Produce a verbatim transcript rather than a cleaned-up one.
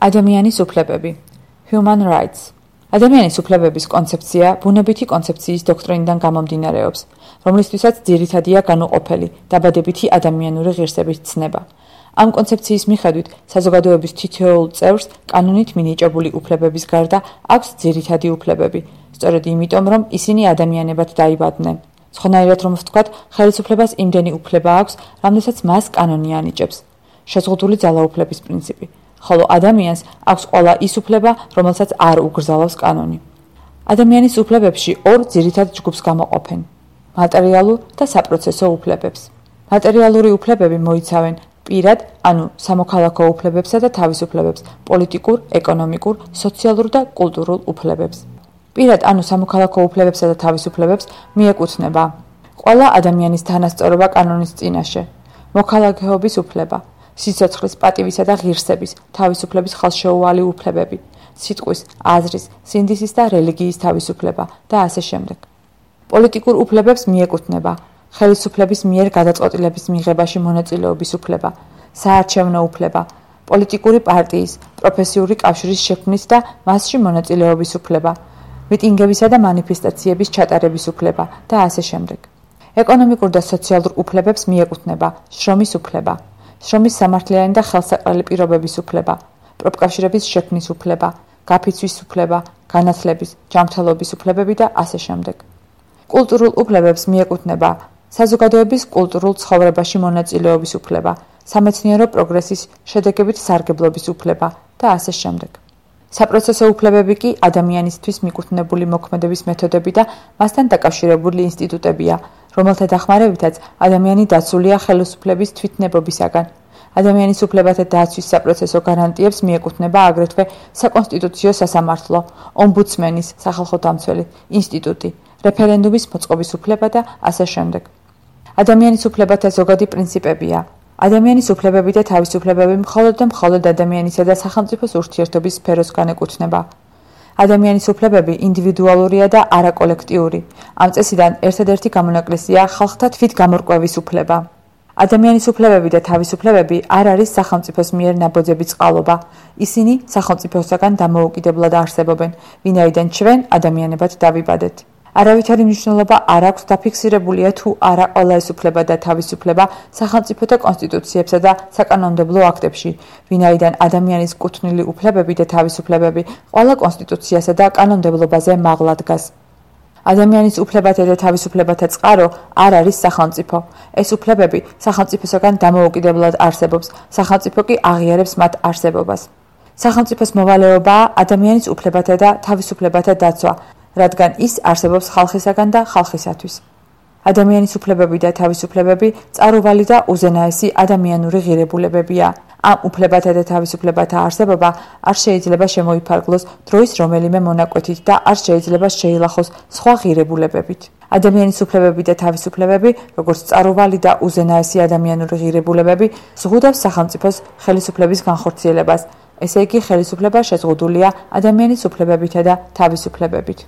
ადამიანის უფლებები Human Rights ადამიანის უფლებების კონცეფცია ბუნებითი კონცეფციის დოქტრინიდან გამომდინარეობს, რომლისთვისაც ძირითადია განუყოფელი, დაბადებითი ადამიანური ღირსების ცნება. Ამ კონცეფციის მიხედვით საზოგადოების თითოეულ წევრს კანონით მინიჭებული უფლებების გარდა აქვს ძირითადი უფლებები, სწორედ იმიტომ, რომ ისინი ადამიანებად დაიბადნენ. Სხვანაირად რომ ვთქვათ, ხელისუფლებას იმდენი უფლება აქვს, რამდენსაც მას კანონი ანიჭებს. შეზღუდული ძალაუფლების პრინციპი. Ხოლო ადამიანს აქვს ყველა ის უფლება, რომელსაც არ უგრძალავს კანონი. ადამიანის უფლებებში ორ ძირითად ჯგუფს გამოყოფენ: მატერიალურ და საპროცესო უფლებებს. მატერიალური უფლებები მოიცავენ პირად, ანუ სამოქალაქო უფლებებსა და თავისუფლებებს, პოლიტიკურ, ეკონომიკურ, სოციალურ და კულტურულ უფლებებს. პირად, ანუ სამოქალაქო უფლებებსა და თავისუფლებებს მიეკუთვნება ყველა ადამიანის თანასწორობა კანონის წინაშე, მოქალაქეობის უფლება, სიცოცხლის, პატივისა და ღირსების, თავისუფლების ხელშეუვალი უფლებები, სიტყვის, აზრის, სინდისის და რელიგიის თავისუფლება და ასე შემდეგ. პოლიტიკურ უფლებებს მიეკუთვნება ხელისუფლების მიერ გადაწყვეტილების მიღებაში მონაწილეობის უფლება, საარჩევნო უფლება, პოლიტიკური პარტიის, პროფესიული კავშირის შექმნის და მასში მონაწილეობის უფლება, მიტინგებისა და მანიფესტაციების ჩატარების უფლება და ასე შემდეგ. ეკონომიკურ და სოციალურ უფლებებს მიეკუთვნება შრომის უფლება, შრომის სამართლიანი და ხელსაყრელი პირობების უფლება, პროფკავშირების შექმნის უფლება, გაფიცვის უფლება, განათლების, ჯანმრთელობის უფლებები და ასე შემდეგ. კულტურულ უფლებებს მიეკუთვნება საზოგადოების კულტურულ ცხოვრებაში მონაწილეობის უფლება, სამეცნიერო პროგრესის შედეგებით სარგებლობის უფლება და ასე შემდეგ. საპროცესო უფლებები კი ადამიანისთვის მიკუთვნებული მოქმედების მეთოდები და მასთან დაკავშირებული ინსტიტუტებია, რომელთა დახმარებითაც ადამიანი დაცულია ხელისუფლების თვითნებობისაგან. ადამიანის უფლებათა დაცვის საპროცესო გარანტიებს მიეკუთვნება აგრეთვე საკონსტიტუციო სასამართლო, ომბუდსმენის, სახალხო დამცველი ინსტიტუტი, რეფერენდუმის მოწყობის უფლება და ასე შემდეგ. ადამიანის უფლებათა ზოგადი პრინციპებია: ადამიანის უფლებები და თავისუფლებები მხოლოდ და მხოლოდ ადამიანისა და სახელმწიფოს ურთიერთობის სფეროს განეკუთვნება. ადამიანის უფლებები ინდივიდუალურია და არა კოლექტიური. ამ წესიდან ერთადერთი გამონაკლისია ხალხთა თვითგამორკვევის უფლება. ადამიანის უფლებები და თავისუფლებები არ არის სახელმწიფოს მიერ ნაბოძები წყალობა. ისინი სახელმწიფოსაგან დამოუკიდებლად არსებობენ, ვინაიდან ჩვენ ადამიანებად დავიბადეთ. არავითარი მნიშვნელობა არ აქვს დაფიქსირებულია თუ არა ყველა ეს უფლება და თავისუფლება სახელმწიფოთა კონსტიტუციებსა და საკანონმდებლო აქტებში, ვინაიდან ადამიანის კუთვნილი უფლებები და თავისუფლებები ყველა კონსტიტუციასა და კანონმდებლობაზე მაღლა დგას. ადამიანის უფლებათა და თავისუფლებათა წყარო არ არის სახელმწიფო. ეს უფლებები სახელმწიფოსაგან დამოუკიდებლად არსებობს, სახელმწიფო კი აღიარებს მათ არსებობას. სახელმწიფოს მოვალეობაა ადამიანის უფლებათა და თავისუფლებათა დაცვა, რადგან ის არსებობს ხალხისაგან და ხალხისათვის. ადამიანის უფლებები და თავისუფლებები წარუმატებელი და უზენაესი ადამიანური ღირებულებებია. ამ უფლებათა და თავისუფლებათა არსებობა არ შეიძლება შემოიფარგლოს დროის რომელიმე მონაკვეთით და არ შეიძლება შეილახოს სხვა ღირებულებებით. ადამიანის უფლებები და თავისუფლებები, როგორც წარუმატებელი და უზენაესი ადამიანური ღირებულებები, ზღუდავს სახელმწიფოს ხელისუფლების განხორციელებას. ესე იგი, ხელისუფლება შეზღუდულია ადამიანის უფლებებითა და თავისუფლებებით.